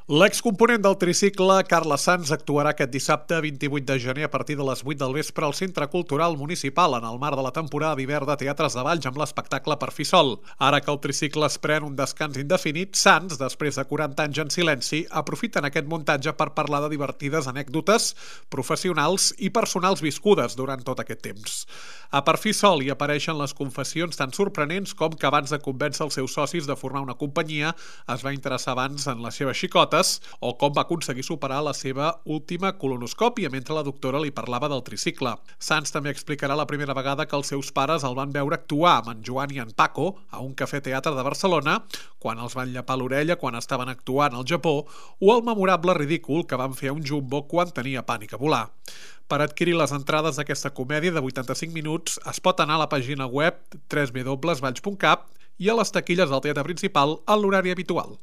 L'excomponent del tricicle, Carla Sans, actuarà aquest dissabte 28 de gener a partir de les 8 del vespre al Centre Cultural Municipal en el marc de la temporada d'hivern de Teatres de Valls amb l'espectacle Per fi sol. Ara que el tricicle es pren un descans indefinit, Sans, després de 40 anys en silenci, aprofiten aquest muntatge per parlar de divertides anècdotes professionals i personals viscudes durant tot aquest temps. A Per fi sol hi apareixen les confessions tan sorprenents com que abans de convèncer els seus socis de formar una companyia es va interessar abans en les seves xicotes o com va aconseguir superar la seva última colonoscòpia mentre la doctora li parlava del tricicle. Sans també explicarà la primera vegada que els seus pares el van veure actuar amb en Joan i en Paco a un cafè teatre de Barcelona, quan els van llepar l'orella quan estaven actuant al Japó, o el memorable ridícul que van fer a un jumbo quan tenia pànic a volar. Per adquirir les entrades d'aquesta comèdia de 85 minuts es pot anar a la pàgina web www.valls.cat i a les taquilles del teatre principal en l'horari habitual.